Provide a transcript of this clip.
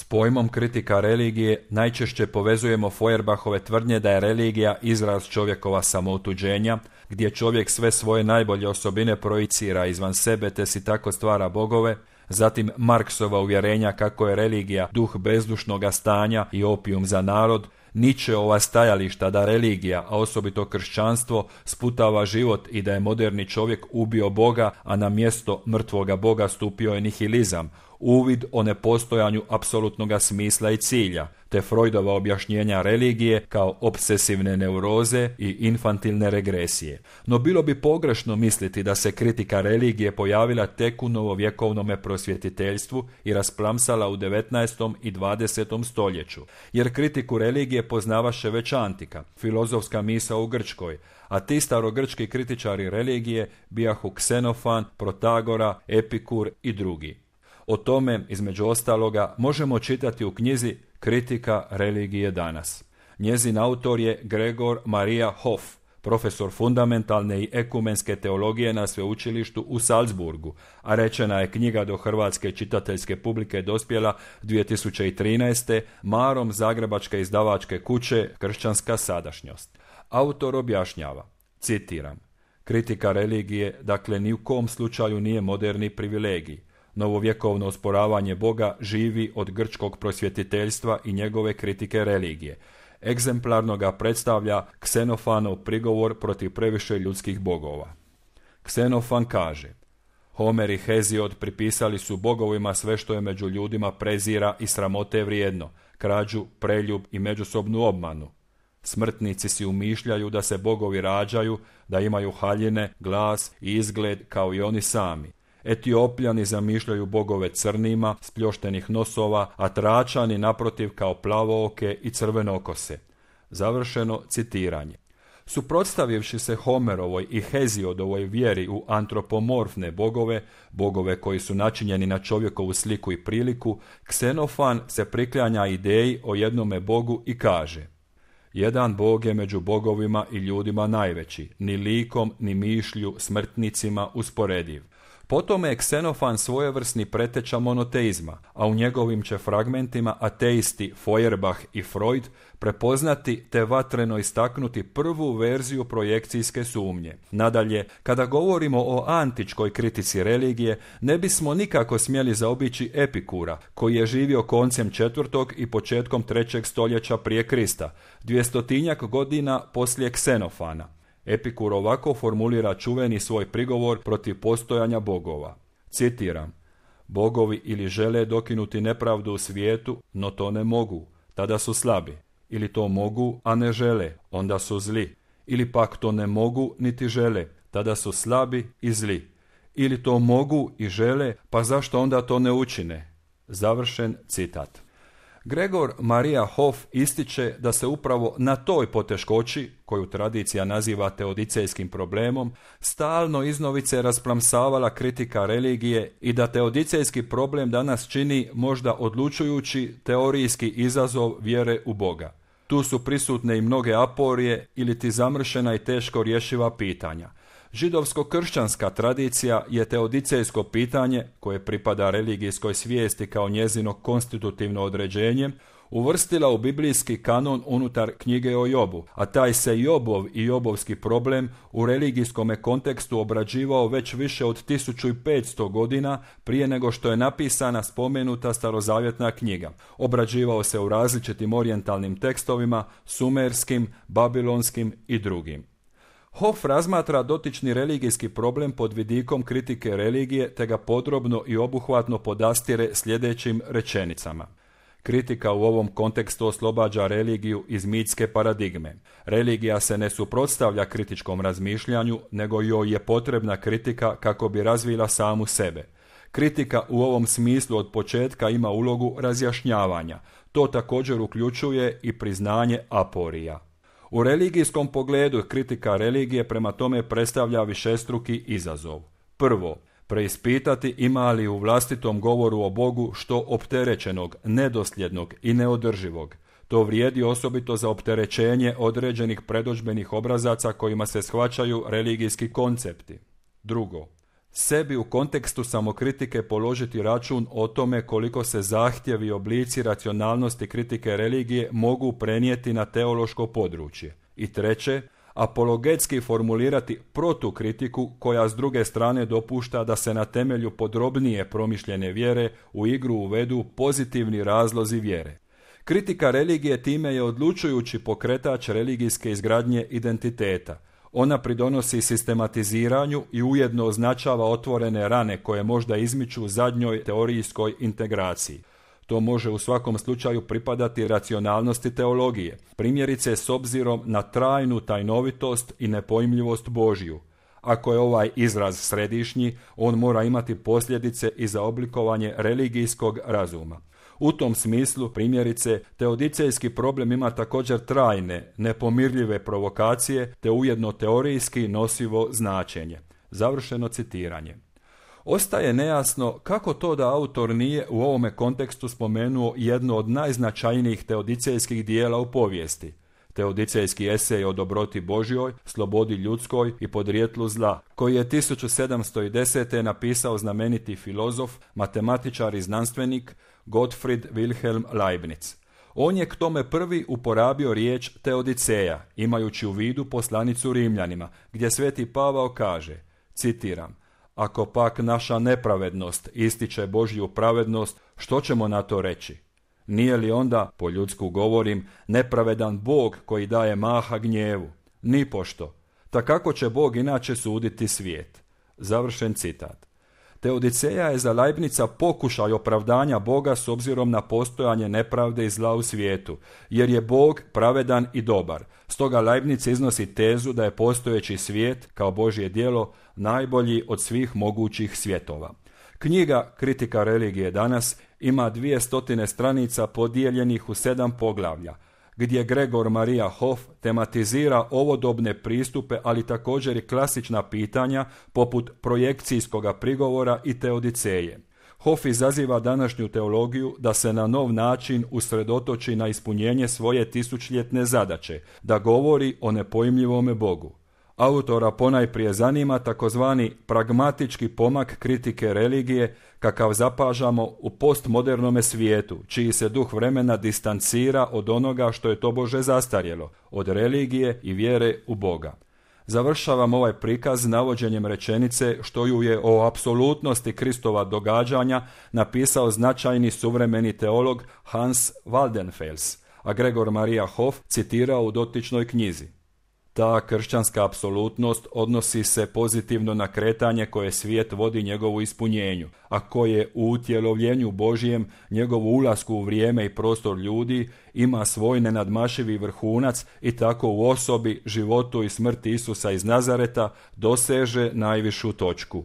S pojmom kritika religije najčešće povezujemo Feuerbachove tvrdnje da je religija izraz čovjekova samoutuđenja, gdje čovjek sve svoje najbolje osobine projicira izvan sebe te si tako stvara bogove, zatim Marksova uvjerenja kako je religija duh bezdušnoga stanja i opijum za narod, Nietzscheova stajališta da religija, a osobito kršćanstvo, sputava život i da je moderni čovjek ubio Boga, a na mjesto mrtvoga Boga stupio je nihilizam, uvid o nepostojanju apsolutnoga smisla i cilja, te Freudova objašnjenja religije kao obsesivne neuroze i infantilne regresije. No bilo bi pogrešno misliti da se kritika religije pojavila tek u novovjekovnome prosvjetiteljstvu i rasplamsala u 19. i 20. stoljeću, jer kritiku religije poznavaše već antika, filozofska misao u Grčkoj, a ti starogrčki kritičari religije bijahu Ksenofan, Protagora, Epikur i drugi. O tome, između ostaloga, možemo čitati u knjizi Kritika religije danas. Njezin autor je Gregor Maria Hoff, profesor fundamentalne i ekumenske teologije na sveučilištu u Salzburgu, a rečena je knjiga do hrvatske čitateljske publike dospjela 2013. marom zagrebačke izdavačke kuće Kršćanska sadašnjost. Autor objašnjava, citiram, kritika religije, dakle, ni u kom slučaju nije moderni privilegij. Novovjekovno osporavanje Boga živi od grčkog prosvjetiteljstva i njegove kritike religije. Egzemplarno ga predstavlja Ksenofanov prigovor protiv previše ljudskih bogova. Ksenofan kaže, Homer i Heziod pripisali su bogovima sve što je među ljudima prezira i sramote vrijedno, krađu, preljub i međusobnu obmanu. Smrtnici si umišljaju da se bogovi rađaju, da imaju haljine, glas i izgled kao i oni sami. Etiopljani zamišljaju bogove crnima, spljoštenih nosova, a Tračani naprotiv kao plavooke i crvenokose. Završeno citiranje. Suprotstavivši se Homerovoj i Heziodovoj vjeri u antropomorfne bogove, bogove koji su načinjeni na čovjekovu sliku i priliku, Ksenofan se priklanja ideji o jednome bogu i kaže: jedan bog je među bogovima i ljudima najveći, ni likom, ni mišlju, smrtnicima usporediv. Potom je Ksenofan svojevrsni preteča monoteizma, a u njegovim će fragmentima ateisti Feuerbach i Freud prepoznati te vatreno istaknuti prvu verziju projekcijske sumnje. Nadalje, kada govorimo o antičkoj kritici religije, ne bismo nikako smjeli zaobići Epikura, koji je živio koncem 4. i početkom 3. stoljeća prije Krista, 200 godina poslije Ksenofana. Epikur ovako formulira čuveni svoj prigovor protiv postojanja bogova. Citiram, bogovi ili žele dokinuti nepravdu u svijetu, no to ne mogu, tada su slabi. Ili to mogu, a ne žele, onda su zli. Ili pak to ne mogu, niti žele, tada su slabi i zli. Ili to mogu i žele, pa zašto onda to ne učine? Završen citat. Gregor Maria Hoff ističe da se upravo na toj poteškoći, koju tradicija naziva teodicejskim problemom, stalno iznovice rasplamsavala kritika religije i da teodicejski problem danas čini možda odlučujući teorijski izazov vjere u Boga. Tu su prisutne i mnoge aporije ili ti zamršena i teško rješiva pitanja. Židovsko-kršćanska tradicija je teodicejsko pitanje, koje pripada religijskoj svijesti kao njezino konstitutivno određenje, uvrstila u biblijski kanon unutar knjige o Jobu, a taj se Jobov i jobovski problem u religijskom kontekstu obrađivao već više od 1500 godina prije nego što je napisana spomenuta starozavjetna knjiga. Obrađivao se u različitim orijentalnim tekstovima, sumerskim, babilonskim i drugim. Hoff razmatra dotični religijski problem pod vidikom kritike religije te ga podrobno i obuhvatno podastire sljedećim rečenicama. Kritika u ovom kontekstu oslobađa religiju iz mitske paradigme. Religija se ne suprotstavlja kritičkom razmišljanju, nego joj je potrebna kritika kako bi razvila samu sebe. Kritika u ovom smislu od početka ima ulogu razjašnjavanja. To također uključuje i priznanje aporija. U religijskom pogledu kritika religije prema tome predstavlja višestruki izazov. Prvo, preispitati ima li u vlastitom govoru o Bogu što opterećenog, nedosljednog i neodrživog. To vrijedi osobito za opterećenje određenih predodžbenih obrazaca kojima se shvaćaju religijski koncepti. Drugo, Sebi u kontekstu samokritike položiti račun o tome koliko se zahtjevi i oblici racionalnosti kritike religije mogu prenijeti na teološko područje. I treće, apologetski formulirati protukritiku koja s druge strane dopušta da se na temelju podrobnije promišljene vjere u igru uvedu pozitivni razlozi vjere. Kritika religije time je odlučujući pokretač religijske izgradnje identiteta. Ona pridonosi sistematiziranju i ujedno označava otvorene rane koje možda izmiču zadnjoj teorijskoj integraciji. To može u svakom slučaju pripadati racionalnosti teologije, primjerice s obzirom na trajnu tajnovitost i nepojmljivost Božju. Ako je ovaj izraz središnji, on mora imati posljedice i za oblikovanje religijskog razuma. U tom smislu, primjerice, teodicejski problem ima također trajne, nepomirljive provokacije, te ujedno teorijski nosivo značenje. Završeno citiranje. Ostaje nejasno kako to da autor nije u ovome kontekstu spomenuo jedno od najznačajnijih teodicejskih dijela u povijesti, teodicejski esej o dobroti Božjoj, slobodi ljudskoj i podrijetlu zla, koji je 1710. napisao znameniti filozof, matematičar i znanstvenik Gottfried Wilhelm Leibniz. On je k tome prvi uporabio riječ teodiceja, imajući u vidu poslanicu Rimljanima, gdje sveti Pavao kaže, citiram, ako pak naša nepravednost ističe Božju pravednost, što ćemo na to reći? Nije li onda, po ljudsku govorim, nepravedan Bog koji daje maha gnjevu? Nipošto. Ta kako će Bog inače suditi svijet? Završen citat. Teodiceja je za Leibnica pokušaj opravdanja Boga s obzirom na postojanje nepravde i zla u svijetu, jer je Bog pravedan i dobar. Stoga Leibniz iznosi tezu da je postojeći svijet, kao Božje djelo, najbolji od svih mogućih svjetova. Knjiga Kritika religije danas ima 200 stranica podijeljenih u 7 poglavlja, gdje Gregor Maria Hoff tematizira ovodobne pristupe, ali također i klasična pitanja poput projekcijskoga prigovora i teodiceje. Hoff izaziva današnju teologiju da se na nov način usredotoči na ispunjenje svoje tisućljetne zadaće, da govori o nepojmljivome Bogu. Autora ponajprije zanima takozvani pragmatički pomak kritike religije kakav zapažamo u postmodernome svijetu, čiji se duh vremena distancira od onoga što je tobože zastarjelo, od religije i vjere u Boga. Završavam ovaj prikaz navođenjem rečenice što ju je o apsolutnosti Kristova događanja napisao značajni suvremeni teolog Hans Waldenfels, a Gregor Maria Hoff citirao u dotičnoj knjizi. Ta kršćanska apsolutnost odnosi se pozitivno na kretanje koje svijet vodi njegovu ispunjenju, a koje u utjelovljenju Božijem, njegovu ulasku u vrijeme i prostor ljudi, ima svoj nenadmašivi vrhunac i tako u osobi, životu i smrti Isusa iz Nazareta doseže najvišu točku.